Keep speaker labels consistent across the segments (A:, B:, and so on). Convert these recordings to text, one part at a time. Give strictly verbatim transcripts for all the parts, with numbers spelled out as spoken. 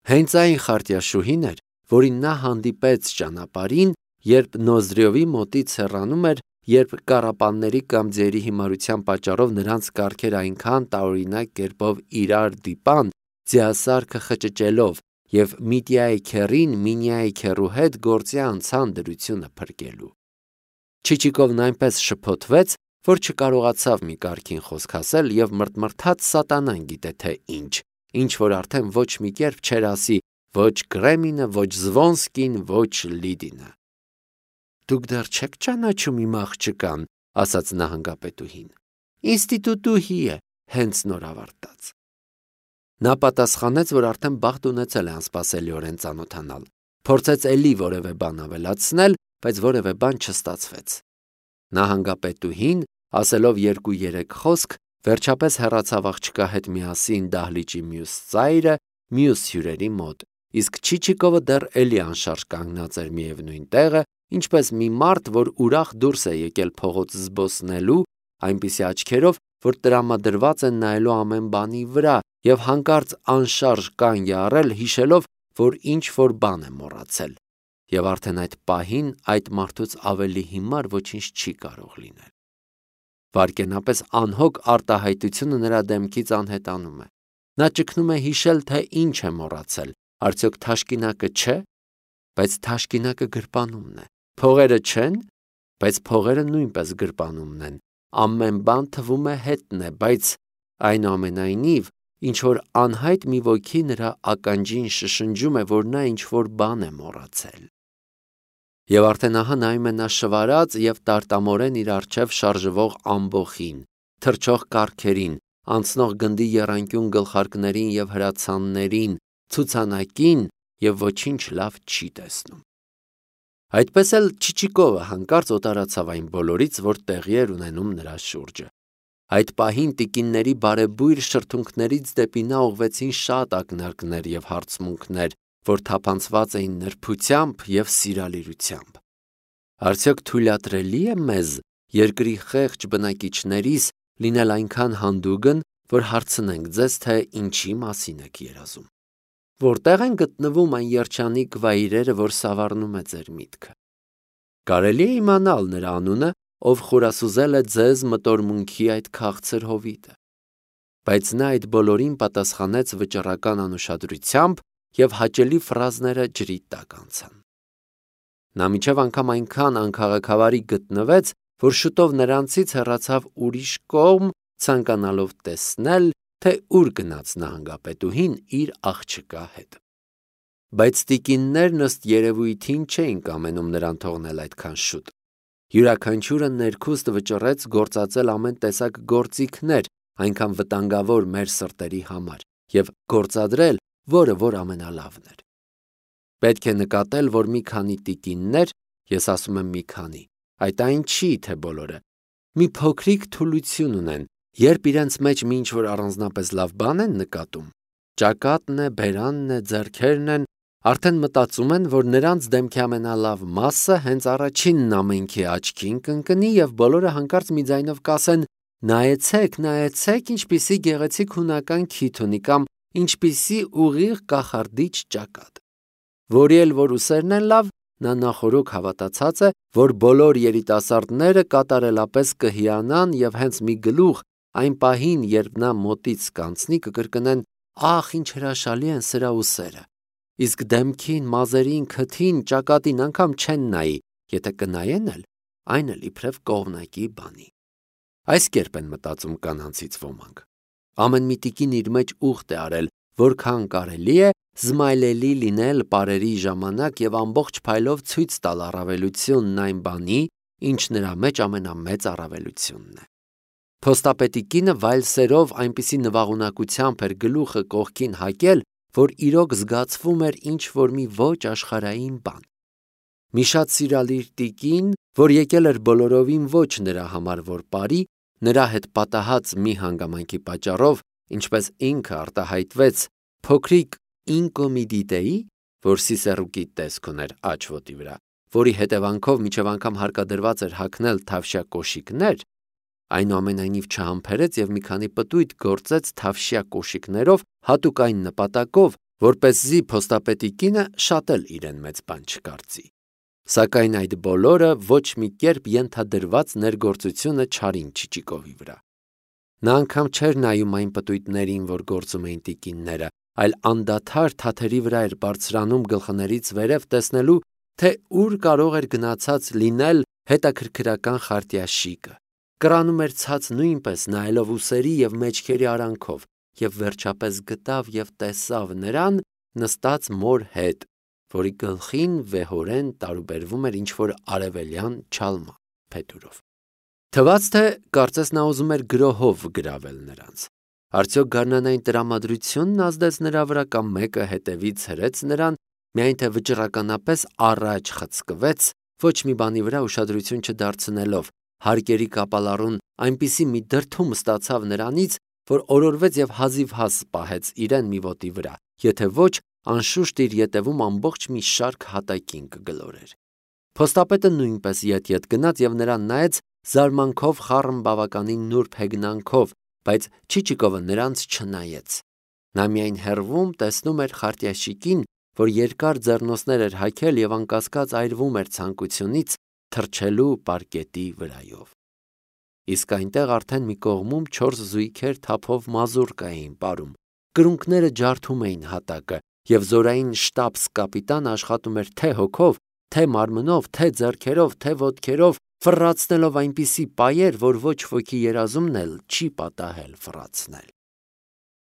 A: Հենց այն խարտյաշուհին էր, որին նա հանդիպեց ճանապարհին, երբ Նոզրյովի մոտից հեռանում էր, երբ կառապանների կամ ձիերի հիմարության պատճառով նրանց կառքեր այնքան տարօրինակ կերպով իրար դիպան, ձիասարքը խճճելով, եւ Միտիայի քեռին Մինիայի քեռու հետ գործի անցան դրությունը փրկելու։ Չիչիկովն այնպես շփոթվեց, որ չկարողացավ մի կարգին խոսք ասել եւ մրթմրթաց սատանան գիտե թե ինչ, ինչ որ արդեն ոչ մի կերպ չէր ասի ոչ Կրեմինը, ոչ Զվոնսկին, ոչ Լիդինը։ Դուք դեռ չեք ճանաչում իմ աղջկան, ասաց նահանգապետուհին։ Ինստիտուտուհի է, հենց նոր ավարտած։ Նա պատասխանեց, որ արդեն բախտ ունեցել է անսպասելիորեն ծանոթանալ, փորձեց էլի որևէ բան ավելացնել, բայց որևէ բան չստացվեց։ Նահանգապետուհին, ասելով երկու-երեք խոսք, վերջապես հեռացավ աղջկա հետ միասին դահլիճի մյուս ծայրը, մյուս հյուրերի մոտ, իսկ Չիչիկովը դեռ էլի անշարժ կանգնած էր միևնույն տեղը, ինչպես մի մարդ, որ ուրախ դուրս է եկել փողոց զբոսնելու, այնպիսի աչքերով, որ տրամադրված են նայելու ամեն բանի վրա եւ հանկարծ անշարժ կանգ է առել, հիշելով, որ ինչ որ բան է մոռացել, եւ արդեն այդ պահին այդ մարդուց ավելի հիմար ոչինչ չի կարող լինել։ Վարկենապես անհոգ արտահայտությունը նրա դեմքից անհետանում է։ Նա ճգնում է հիշել, թե ինչ է մոռացել, արդյոք թաշկինակը չէ, բայց թաշկինակը գրպանումն է, փողերը չեն, բայց փողերը նույնպես գրպանումն են, ամեն բան թվում է հետն է, բայց այնուամենայնիվ ինչ որ անհայտ մի ոգի նրա ականջին շշնջում է, որ նա ինչ որ բան է մոռացել։ Եվ արդեն ահա նայում է նա շվարած եւ տարտամորեն իր առջև շարժվող ամբոխին, թրջող կառքերին, անցնող գնդի եռանկյուն գլխարկներին եւ հրացաններին, ցուցանակին եւ ոչինչ լավ չի տեսնում։ Այդպես էլ Չիչիկովը հանկարծ օտարացավ այն բոլորից, որ տեղի էր ունենում նրա շուրջը։ Այդ պահին տիկինների բարեբույր շրթունքներից դեպի նա ուղղվեցին շատ ակնարկներ եւ հարցմունքներ, որ թափանցված էին նրբությամբ եւ սիրալիրությամբ։ Արդյոք թույլատրելի է մեզ, երկրի խեղճ բնակիչներիս, լինել այնքան հանդուգն, որ հարցնենք ձեզ, թե ինչի մասին եք երազում։ Որտեղ են գտնվում այն երջանիկ վայրերը, որ սավառնում է ձեր միտքը։ Կարելի է իմանալ նրա անունը, ով խորասուզել է ձեզ մտորմունքի այդ քաղցր հովիտը։ Բայց նա այդ բոլորին պատասխանեց վճռական անուշադրությամբ եւ հաճելի ֆրազները ջրի տակ անցան։ Նա մինչև անգամ այնքան անքաղաքավարի գտնվեց, որ շուտով նրանցից հեռացավ ուրիշ կողմ, ցանկանալով տեսնել, թե ուր գնաց նահանգապետուհին իր աղջկա հետ։ Բայց տիկիններն ըստ երևույթին չէին կամենում նրան թողնել այդքան շուտ։ Յուրաքանչյուրը ներքուստ վճռեց գործածել ամեն տեսակ գործիքներ, այնքան վտանգավոր մեր սրտերի համար, եւ գործադրել, որը որ ամենալավն էր։ Պետք է նկատել, որ մի քանի տիկիններ, ես ասում եմ մի քանի, այդ այն չի, թե բոլորը, մի փոքրիկ թուլություն ունեն, երբ իրենց մեջ մի ինչ-որ առանձնապես լավ բան են նկատում, ճակատն է, բերանն է, ձեռքերն են, արդեն մտածում են, որ նրանց դեմքի ամենալավ մասը հենց առաջինն ամենքի աչքին կընկնի եւ բոլորը հանկարծ մի ձայնով կասեն. նայեցեք, նայեցեք, ինչպիսի գեղեցիկ հունական քիթ ունի կամ ինչպիսի ուղիղ կախարդիչ ճակատ։ Որի էլ որ ուսերն են լավ, նա նախորոք հավատացած է, որ բոլոր երիտասարդները կատարելապես կհիանան եւ հենց մի գլուխ այն պահին, երբ նա մոտից կանցնի, կկրկնեն. ախ, ինչ հրաշալի են սրա ուսերը։ Իսկ դեմքին, մազերին, քթին, ճակատին անգամ չեն նայի, եթե կնայեն էլ, այն էլ իբրև կողմնակի բանի։ Այս կերպ են մտածում կանանցից ոմանք։ Ամեն մի տիկին իր մեջ ուխտ է արել, որքան կարելի է զմայլելի լինել պարերի ժամանակ եւ ամբողջ փայլով ցույց տալ առավելությունն այն բանի, ինչ նրա մեջ ամենամեծ առավելությունն է։ Փոստապետի կինը վայլսերով այնպիսի նվաղունակությամբ էր գլուխը կողքին հակել, որ իրոք զգացվում էր ինչ որ մի ոչ աշխարհային բան։ Մի շատ սիրալիր տիկին, որ եկել էր բոլորովին ոչ նրա համար, որ բարի, նրա հետ պատահած մի հանգամանքի պատճառով, ինչպես ինքը արտահայտվեց, փոքրիկ ինկոմիդիտեի, որ Սիսեռուկի տեսք ուներ աջ ոտի վրա, որի հետևանքով մինչև անգամ հարկադրված էր հագնել թավշյա կոշիկներ, այնուամենայնիվ չհամբերեց եւ մի քանի պտույտ գործեց թավշյա կոշիկներով հատուկ այն նպատակով, որպեսզի փոստապետի կինը շատ էլ իրեն մեծ բան չկարծի։ Սակայն այդ բոլորը ոչ մի կերպ ենթադրված ներգործությունը չարին Չիչիկովի վրա։ Նա անգամ չէր նայում այն պտույտներին, որ գործում էին տիկինները, այլ անդադար թաթերի վրա էր բարձրանում գլխներից վերև տեսնելու, թե ուր կարող էր գնացած լինել հետաքրքրական խարտյաշիկը։ Կրանում էր ցած նույնպես նայելով ուսերի և մեջքերի արանքով և վերջապես գտավ և տեսավ նրան նստած մոր հետ, որի գլխին վեհորեն տարուբերվում էր ինչ-որ արևելյան չալմա փետուրով։ Թվաց, թե կարծես նա ուզում էր գրոհով գրավել նրանց։ Արդյոք գարնանային տրամադրությունն ազդեց նրա վրա կամ մեկը հետևից հրեց նրան, միայն թե վճռականապես առաջ խցկվեց, ոչ մի բանի վրա ուշադրություն չդարձնելով, հարկերի կապալառուն այնպիսի մի դրդում ստացավ նրանից, որ օրորվեց և հազիվհազ պահեց իրեն մի ոտի վրա, եթե ոչ, անշուշտ իր ետևում ամբողջ մի շարք հատակին կգլորեր։ Փոստապետը նույնպես ետ-ետ գնաց և նրան նայեց զարմանքով խառն բավականին նուրբ հեգնանքով, բայց Չիչիկովը նրանց չնայեց։ Նա միայն հեռվում տեսնում էր խարտյաշիկին, որ երկար ձեռնոցներ էր հագել և անկասկած այրվում էր ցանկությունից թռչելու պարկետի վրայով։ Իսկ այնտեղ արդեն մի կողմում չորս զույգեր թափով մազուռ կային պարում, կրունկները ջարդում էին հատակը, և զորային շտաբս-կապիտանը աշխատում էր թե հոգով, թե մարմնով, թե ձեռքերով, թե ոտքերով, ֆռռացնելով այնպիսի պայեր, որ ոչ ոքի երազումն էլ չի պատահել ֆռռացնել։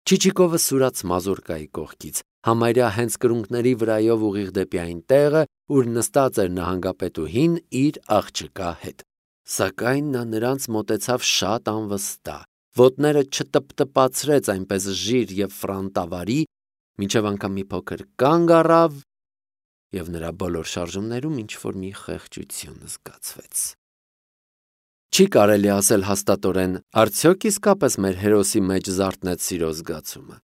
A: Չիչիկովը սուրաց մազուրկայի կողքից, համարյա հենց կրունկների վրայով ուղիղ դեպի այն տեղը, ուր նստած էր նահանգապետուհին իր աղջկա հետ։ Սակայն նա նրանց մոտեցավ շատ անվստահ, ոտները չտպտպացրեց այնպես ժիր և ֆրանտավարի, մինչև անգամ մի փոքր կանգ առավ, և նրա բոլոր շարժումներում ինչ-որ մի խեղճություն զգացվեց։ Չի կարելի ասել հաստատորեն, արդյոք իսկապես մեր հերոսի մեջ զարթնեց սիրո զգացումը։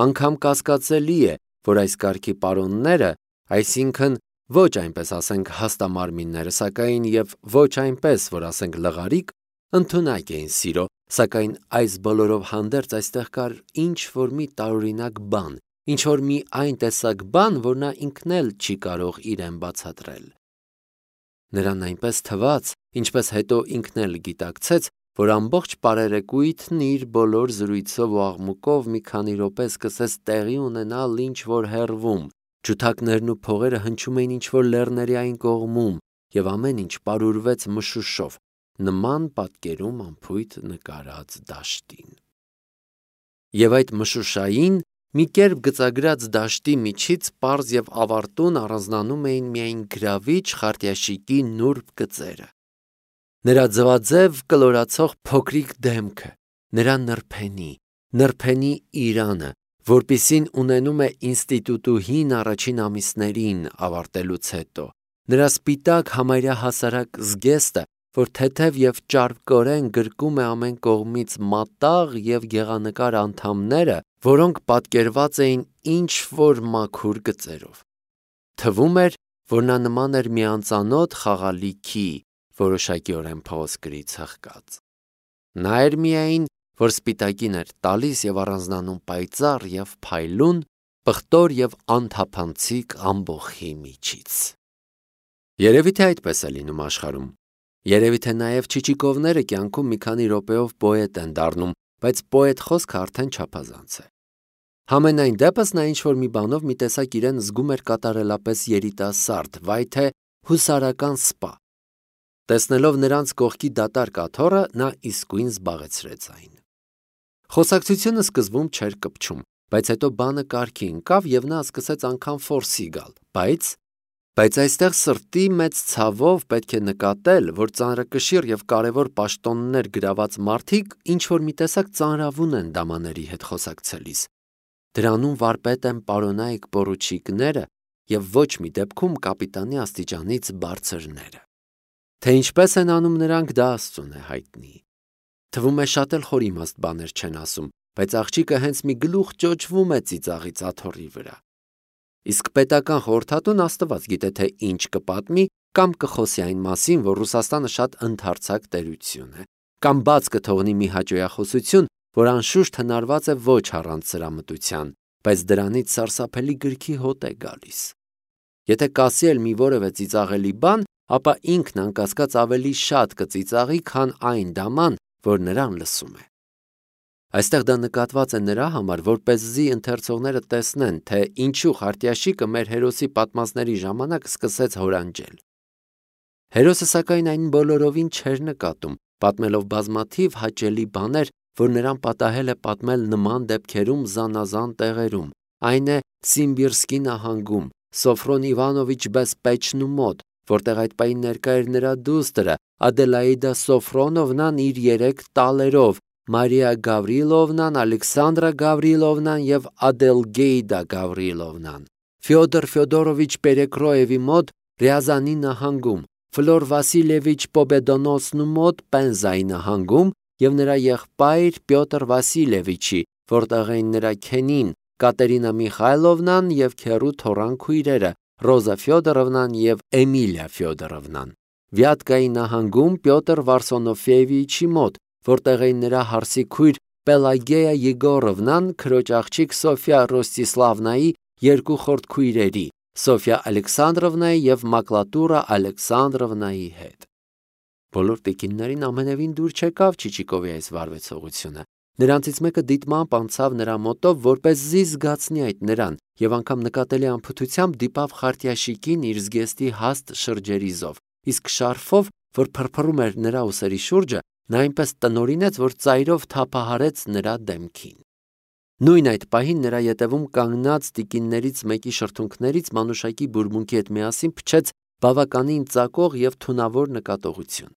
A: Անգամ կասկածելի է, որ այս կարգի պարոնները, այսինքն ոչ այնպես ասենք հաստամարմինները, սակայն և ոչ այնպես, որ ասենք լղարիկ, ընդունակ էին սիրո, սակայն այս բոլորով հանդերձ այստեղ կար ինչ-որ մի տարօրինակ բան, ինչ-որ մի այն տեսակ բան, որ նա ինքն էլ չի կարող իրեն բացատրել։ Նրան այնպես թվաց, ինչպես հետո ինքն էլ գիտակցեց, որ ամբողջ պարերեկույթն իր բոլոր զրույցով ու աղմուկով մի քանի րոպե սկսեց տեղի ունենալ ինչ-որ հեռվում, ջութակներն ու փողերը հնչում էին ինչ-որ լեռների այն կողմում, և ամեն ինչ պարուրվեց մշուշով, նման պատկերում անփույթ նկարած դաշտին։ Եվ այդ մշուշային, մի կերպ գծագրած դաշտի միջից պարզ և ավարտուն առանձնանում էին միայն գրավիչ խարտյաշիկի նուրբ գծերը, նրա ձվաձև կլորացող փոքրիկ դեմքը, նրա նրբենի, նրբենի իրանը, որպիսին ունենում է ինստիտուտուհին առաջին ամիսներին ավարտելուց հետո, նրա սպիտակ համարյա հասարակ զգեստը, որ թեթև և ճարպկորեն գրկում է ամեն կողմից մատաղ և գեղանկար անդամները, որոնք պատկերված էին ինչ-որ մաքուր գծերով։ Թվում էր, որ նա նման էր մի անծանոթ խաղալիքի, որոշակիորեն փղոսկրից հղկած։ Նա էր միայն, որ սպիտակին էր տալիս և առանձնանում պայծառ և փայլուն, պղտոր և անթափանցիկ ամբոխի միջից։ Երևի թե այդպես է լինում աշխարհում։ Երևի թե նաև Չիչիկովները կյանքում մի քանի րոպեով պոետ են դառնում, բայց պոետ խոսքը արդեն չափազանց է։ Համենայն դեպս նա ինչ-որ մի բանով մի տեսակ իրեն զգում էր կատարելապես երիտասարդ, վայ թե հուսարական սպա։ Տեսնելով նրանց կողքի դատարկ աթոռը, նա իսկույն զբաղեցրեց այն։ Խոսակցությունը սկզբում չէր կպչում, բայց հետո բանը կարգի ընկավ և նա սկսեց անգամ ֆորսի գալ, բայց… Բայց այստեղ սրտի մեծ ցավով պետք է նկատել, որ ծանրակշիռ և կարևոր պաշտոններ գրաված մարդիկ ինչ-որ մի տեսակ ծանրավուն են դամաների հետ խոսակցելիս։ Դրանում վարպետ են պարոնայք պորուչիկները և ոչ մի դեպքում կապիտանի աստիճանից բարձրները։ Թե ինչպես են անում նրանք, դա Աստծուն է հայտնի։ Թվում է շատ էլ խոր իմաստ բաներ չեն ասում, բայց աղջիկը հենց մի գլուխ ճոճվում է ծիծաղից աթոռի վրա։ Իսկ պետական խորհրդատուն Աստված գիտե, թե ինչ կպատմի կամ կխոսի այն մասին, որ Ռուսաստանը շատ ընդարձակ տերություն է, կամ բաց կթողնի մի հաճոյախոսություն, որ անշուշտ հնարված է ոչ առանց սրամտության, բայց դրանից սարսափելի գրքի հոտ է գալիս։ Եթե կասի էլ մի որևէ ծիծաղելի բան, ապա ինքն անկասկած ավելի շատ կծիծաղի, քան այն դաման, որ նրան լսում է։ Այստեղ դա նկատված է նրա համար, որպեսզի ընթերցողները տեսնեն, թե ինչու Խարտյաշիկը մեր հերոսի պատմածների ժամանակ սկսեց հորանջել։ Հերոսը սակայն այն բոլորովին չէր նկատում, պատմելով բազմաթիվ հաճելի բաներ, որ նրան պատահել է պատմել նման դեպքերում զանազան տեղերում, այն է Սիմբիրսկի նահանգում, Սոֆրոն Իվանովիչ Բեսպեչնու մոտ, որտեղ այդ պահին ներկա էր նրա դուստրը Ադելաիդա Սոֆրոնովնան իր երեք տալերով, Մարիա Գավրիլովնան, Ալեքսանդրա Գավրիլովնան և Ադելգեյդա Գավրիլովնան, Ֆյոդոր Ֆյոդորովիչ Պերեկրոևի մոտ Ռյազանի նահանգում, Ֆլոր Վասիլևիչ Պոբեդոնոսնու մոտ Պենզայի նահանգում և նրա եղբայր Պյոտր Վասիլևիչի, որտեղ էին նրա քենին Կատերինա Միխայլովնան և քեռու թոռան քույրերը Ռոզա Ֆյոդորովնան և Էմիլիա Ֆյոդորովնան, Վյատկայի նահանգում Պյոտր Վարսոնոֆիևիչի մոտ, որտեղ էին նրա հարսի քույր Պելագեյա Եգորովնան, քրոջ աղջիկ Սոֆիա Ռոստիսլավնայի երկու խորտ քույրերի, Սոֆիա Ալեքսանդրովնայի և Մակլատուրա Ալեքսանդրովնայի հետ։ Բոլոր տիկիններին ամենևին դուր չեկավ Չիչիկովի այս վարվեցողությունը։ Նրանցից մեկը դիտմամբ անցավ նրա մոտով, որպեսզի զգացնի այդ նրան, եւ անգամ նկատելի անփութությամբ դիպավ Խարտյաշիկին իր զգեստի հաստ շրջերիզով, իսկ շարֆով, որ փրփռում էր նրա ուսերի շուրջը, նա այնպես տնօրինեց, որ ծայրով թափահարեց նրա դեմքին։ Նույն այդ պահին նրա ետևում կանգնած տիկիններից մեկի շրթունքներից մանուշակի բուրմունքի հետ միասին փչեց բավականին ծակող եւ թունավոր նկատողություն։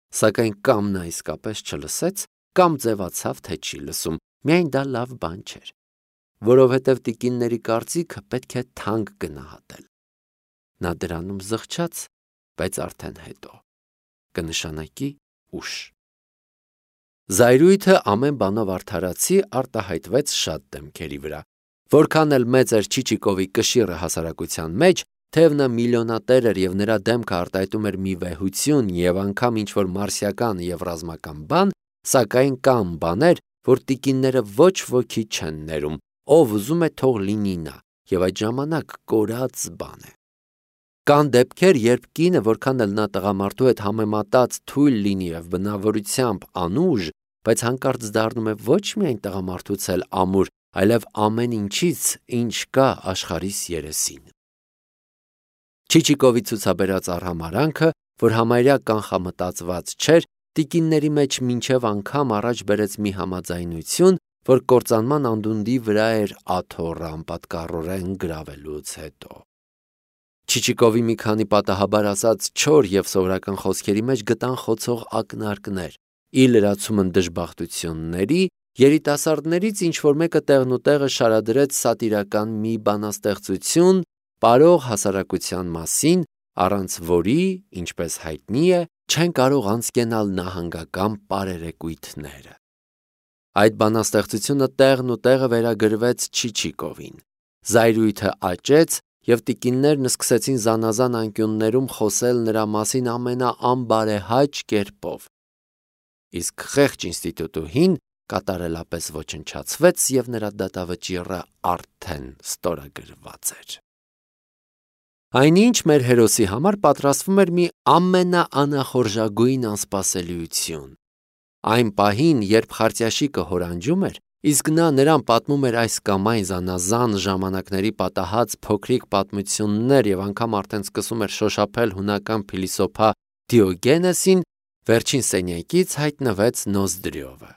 A: Սակայն կամ նա իսկապես չլսեց, կամ ձևացավ, թե չի լսում, միայն դա լավ բան չէր, որովհետև տիկինների կարծիքը պետք է թանկ գնահատել։ Նա դրանում զղջաց, բայց արդեն հետո, կնշանակի ուշ։ Զայրույթը ամեն բանով արդարացի արտահայտվեց շատ դեմքերի վրա, որքան էլ մեծ էր Չիչիկովի կշիռը հասարակության մեջ, թեև նա միլիոնատեր էր և նրա դեմքը արտահայտում էր մի վեհություն և անգամ ինչ-որ մարսիական և ռազմական բան, սակայն կան բաներ, որ տիկինները ոչ ոքի չեն ներում, ով ուզում է թող լինի նա, և այդ ժամանակ կորած բան է։ Կան դեպքեր, երբ կինը, որքան էլ նա տղամարդու հետ համեմատած թույլ լինի և բնավորությամբ անուժ, բայց հանկարծ դառնում է ոչ միայն տղամարդուց էլ ամուր, այլև ամեն ինչից, ինչ կա աշխարհիս երեսին։ Չիչիկովի ցուցաբերած արհամարհանքը, որ համարյա կանխամտածված չէր, տիկինների մեջ մինչև անգամ առաջ բերեց մի համաձայնություն, որ կործանման անդունդի վրա էր աթոռը անպատկառորեն գրավելուց հետո։ Չիչիկովի մի քանի պատահաբար ասած չոր և սովորական խոսքերի մեջ գտան խոցող ակնարկներ, ի լրացումն դժբախտությունների, երիտասարդներից ինչ-որ մեկը տեղնուտեղը շարադրեց սատիրական մի բանաստեղծություն պարող հասարակության մասին, առանց որի, ինչպես հայտնի է, չեն կարող անցկենալ նահանգական պարերեկույթները։ Այդ բանաստեղծությունը տեղն ու տեղը վերագրվեց Չիչիկովին։ Զայրույթը աճեց, և տիկիններն սկսեցին զանազան անկյուններում խոսել նրա մասին ամենաանբարեհաճ կերպով։ Իսկ խեղճ ինստիտուտուհին կատարելապես ոչնչացվեց, և նրա դատավճիռը արդեն ստորագրված էր։ Այնինչ մեր հերոսի համար պատրաստվում էր մի ամենաանախորժագույն անսպասելիություն։ Այն պահին, երբ Խարտյաշիկը հորանջում էր, իսկ նա նրան պատմում էր այս կամ այն զանազան ժամանակների պատահած փոքրիկ պատմություններ և անգամ արդեն սկսում էր շոշափել հունական փիլիսոփա Դիոգենեսին, վերջին սենյակից հայտնվեց Նոզդրյովը։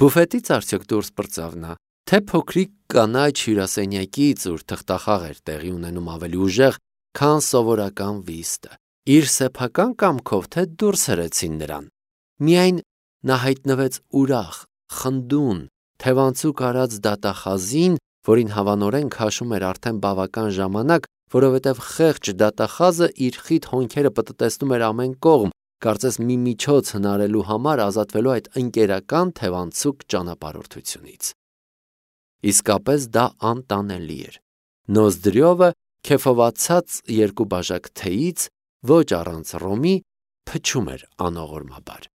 A: Բուֆետից արդյոք դուրս պրծավ նա, թե փոքրիկ կանաչ հյուրասենյակից, ուր թղթախաղ էր տեղի ունենում ավելի ուժեղ, քան սովորական վիստը, իր սեփական կամքով, թե դուրս հրեցին նրան։ Միայն նա հայտնվեց ուրախ, խնդուն, թևանցուկ արած դատախազին, որին հավանորեն քաշում էր արդեն բավական ժամանակ, որովհետև խեղճ դատախազը իր խիտ հոնքերը պտտեցնում էր ամեն կողմ, կարծես մի միջոց հնարելու համար ազատվելու այդ ընկերական թևանցուկ ճանապարհորդությունից։ Իսկապես դա անտանելի էր։ Նոզդրյովը քեֆովացած երկու բաժակ թեյից, ոչ առանց ռոմի, փչում էր անողորմաբար։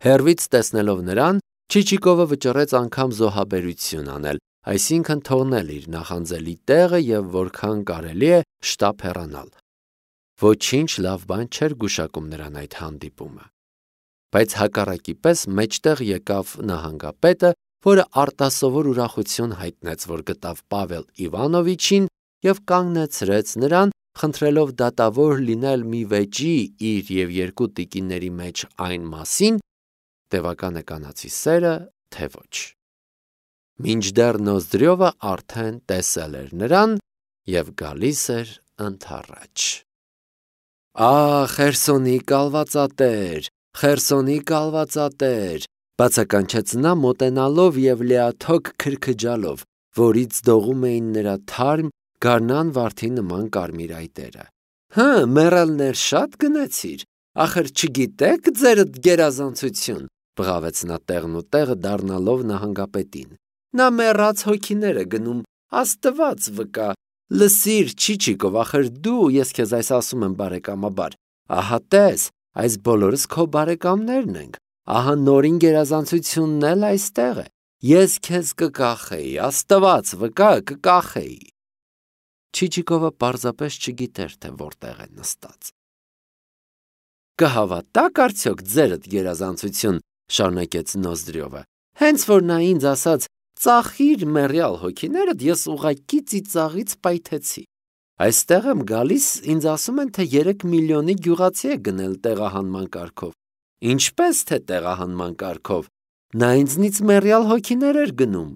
A: Հեռվից տեսնելով նրան, Չիչիկովը վճռեց անգամ զոհաբերություն անել, այսինքն թողնել իր նախանձելի տեղը և որքան կարելի է շտապ հեռանալ։ Ոչինչ լավ բան չէր գուշակում նրան այդ հանդիպումը։ Բայց հակառակի պես մեջտեղ եկավ նահանգապետը, որը արտասովոր ուրախություն հայտնեց, որ գտավ Պավել Իվանովիչին և կանգնեցրեց նրան, խնդրելով դատավոր լինել մի վեճի իր և երկու տիկինների մեջ այն մասին, տևական է կանացի սերը, թե ոչ։ Մինչդեռ Նոզդրյովը արդեն տեսել էր նրան և գալիս էր ընդառաջ։ «Ա՜, Խերսոնի կալվածատեր, Խերսոնի կալվածատեր», բացականչեց նա մոտենալով և լիաթոք քրքջալով, որից դողում էին նրա թարմ, գարնան վարդի նման կարմիր այտերը։ «Հը, մեռելներ շատ գնեցիր, ախր չգիտե՞ք ձերդ գերազանցություն», բղավեց նա տեղն ու տեղը դառնալով նահանգապետին։ «Նա մեռած հոգիներ է գնում, Աստված վկա, լսիր, Չիչիկով, ախր դու, ես քեզ այս ասում եմ բարեկամաբար, ահա տես, այս բոլորս քո բարեկամներն ենք, ահա նորին գերազանցությունն էլ այստեղ է, ես քեզ կկախեի, Աստված վկա, կկախեի»։ Չիչիկովը պարզապես չգիտեր, թե որտեղ է նստած։ «Կհավատա՞ք արդյոք ձերդ գերազանցություն», շարունակեց Նոզդրյովը, «հենց որ նա ինձ ասաց ծախիր մեռյալ հոգիներդ, ես ուղղակի ծիծաղից պայթեցի։ Այստեղ եմ գալիս, ինձ ասում են, թե երեք միլիոնի գյուղացի է գնել տեղահանման կարգով։ Ինչպե՞ս թե տեղահանման կարգով։ Նա ինձնից մեռյալ հոգիներ էր գնում։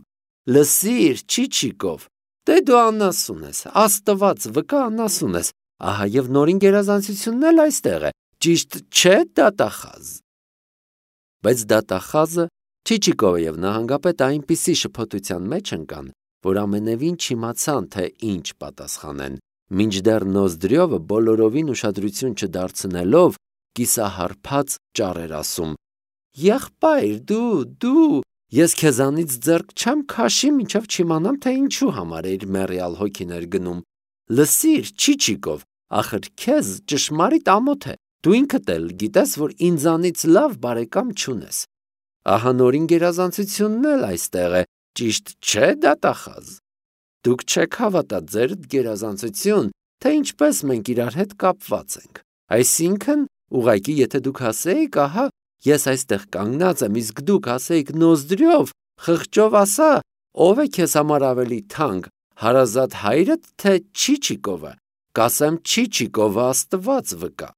A: Լսիր, Չիչիկով, դե դու անասուն ես, Աստված վկա անասուն ես, ահա և նորին գերազանցությունն էլ այստեղ է, ճիշտ չէ, դատախազ։ Բայց դատախազը, Չիչիկովը և նահանգապետը այնպիսի շփոթության մեջ ընկան, որ ամենևին չիմացան, թե ինչ պատասխանեն, մինչդեռ Նոզդրյովը բոլորովին ուշադրություն չդարձնելով կիսահարբած ճառ էր ասում. «Եղբայր, դու, դու, ես քեզանից ձեռք չեմ քաշի, մինչև չիմանամ, թե ինչու համար էիր մեռյալ հոգիներ գնում։ Լսիր, Չիչիկով, ախր քեզ ճշմարիտ ամոթ է, դու ինքդ էլ գիտես, որ ինձանից լավ բարեկամ չունես։ Ահա նորին գերազանցությունն էլ այստեղ է, ճիշտ չէ, դատախազ։ Դուք չեք հավատա ձերդ գերազանցություն, թե ինչպես մենք իրար հետ կապված ենք։ Այսինքն, ուղղակի եթե դուք ասեիք, ահա, ես այստեղ կանգնած եմ, իսկ դուք ասեիք Նոզդրյով, խղճով ասա, ով է քեզ համար ավելի թանկ, հարազատ հայրդ, թե Չիչիկովը, կասեմ Չիչիկովը, Աստված վկա։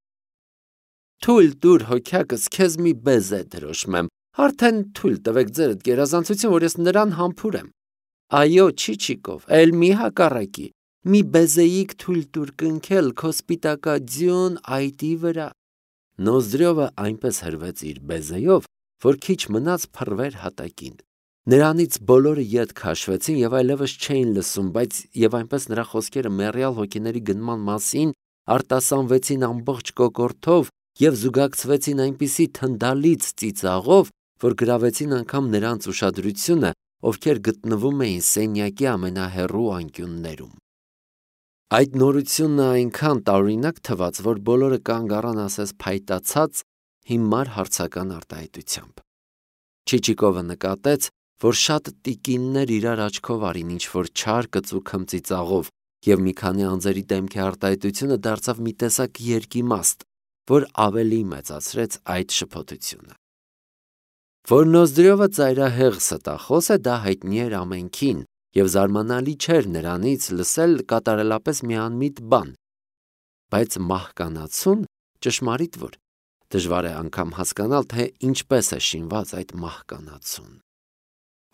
A: Թույլ տուր հոգյակս քեզ մի բեզե դրոշմեմ, արդեն թույլ տվեք ձերդ գերազանցություն, որ ես նրան համբուրեմ։ Այո, Չիչիկով, էլ մի հակառակի, մի բեզեիք թույլ տուր կնքել քո սպիտակաձյուն այտի վրա։ Նոզդրյովը այնպես հրվեց իր բեզեյով, որ քիչ մնաց փռվեր հատակին։ Նրանից բոլորը ետ քաշվեցին և այլևս չէին լսում, բայց և այնպես նրա խոսքերը մեռյալ հոգիների գնման մասին արտասանվեցին ամբողջ կոկորդով և զուգակցվեցին այնպիսի թնդալից ծիծաղով, որ գրավեցին անգամ նրանց ուշադրությունը, ովքեր գտնվում էին սենյակի ամենահեռու անկյուններում։ Այդ նորությունն այնքան տարօրինակ թվաց, որ բոլորը կանգ առան ասես փայտացած հիմար հարցական արտահայտությամբ։ Չիչիկովը նկատեց, որ շատ տիկիններ իրար աչքով արին ինչ-որ չար կծու ծիծաղով, և մի քանի անձերի դեմքի արտահայտությունը դարձավ մի տեսակ երկիմաստ, որ ավելի մեծացրեց այդ շփոթությունը։ Որ Նոզդրյովը ծայրահեղ ստախոս է, դա հայտնի էր ամենքին, և զարմանալի չէր նրանից լսել կատարելապես մի անմիտ բան, բայց մահկանացուն, ճշմարիտ որ, դժվար է անգամ հասկանալ, թե ինչպես է շինված այդ մահկանացուն։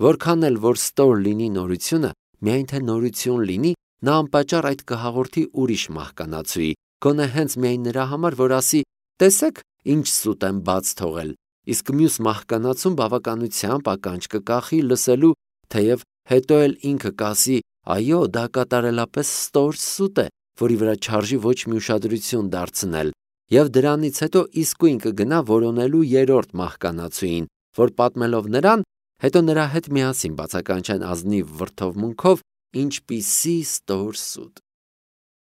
A: Որքան էլ որ ստոր լինի նորությունը, միայն թե նորություն լինի, նա անպատճառ այդ կհաղորդի ուրիշ մահկանացուի, գոնե հենց միայն նրա համար, որ ասի. տեսեք, ինչ սուտ եմ բաց թողել, իսկ մյուս մահկանացուն բավականությամբ ականջ կկախի լսելու, թեև հետո էլ ինքը կասի. այո, դա կատարելապես ստոր սուտ է, որի վրա չարժի ոչ մի ուշադրություն դարձնել, և դրանից հետո իսկույն կգնա որոնելու երրորդ մահկանացուին, որ պատմելով նրան, հետո նրա հետ միասին բացականչեն ազնիվ վրդովմունքով ինչպիսի ստոր սուտ։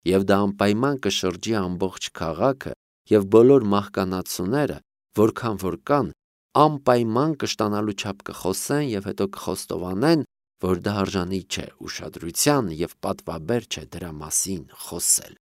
A: Եվ դա անպայման կշրջի ամբողջ քաղաքը, և բոլոր մահկանացուները, որքան որ կան, անպայման կշտանալու չափ կխոսեն և հետո կխոստովանեն, որ դա արժանի չէ ուշադրության և պատվաբեր չէ դրա մասին խոսել։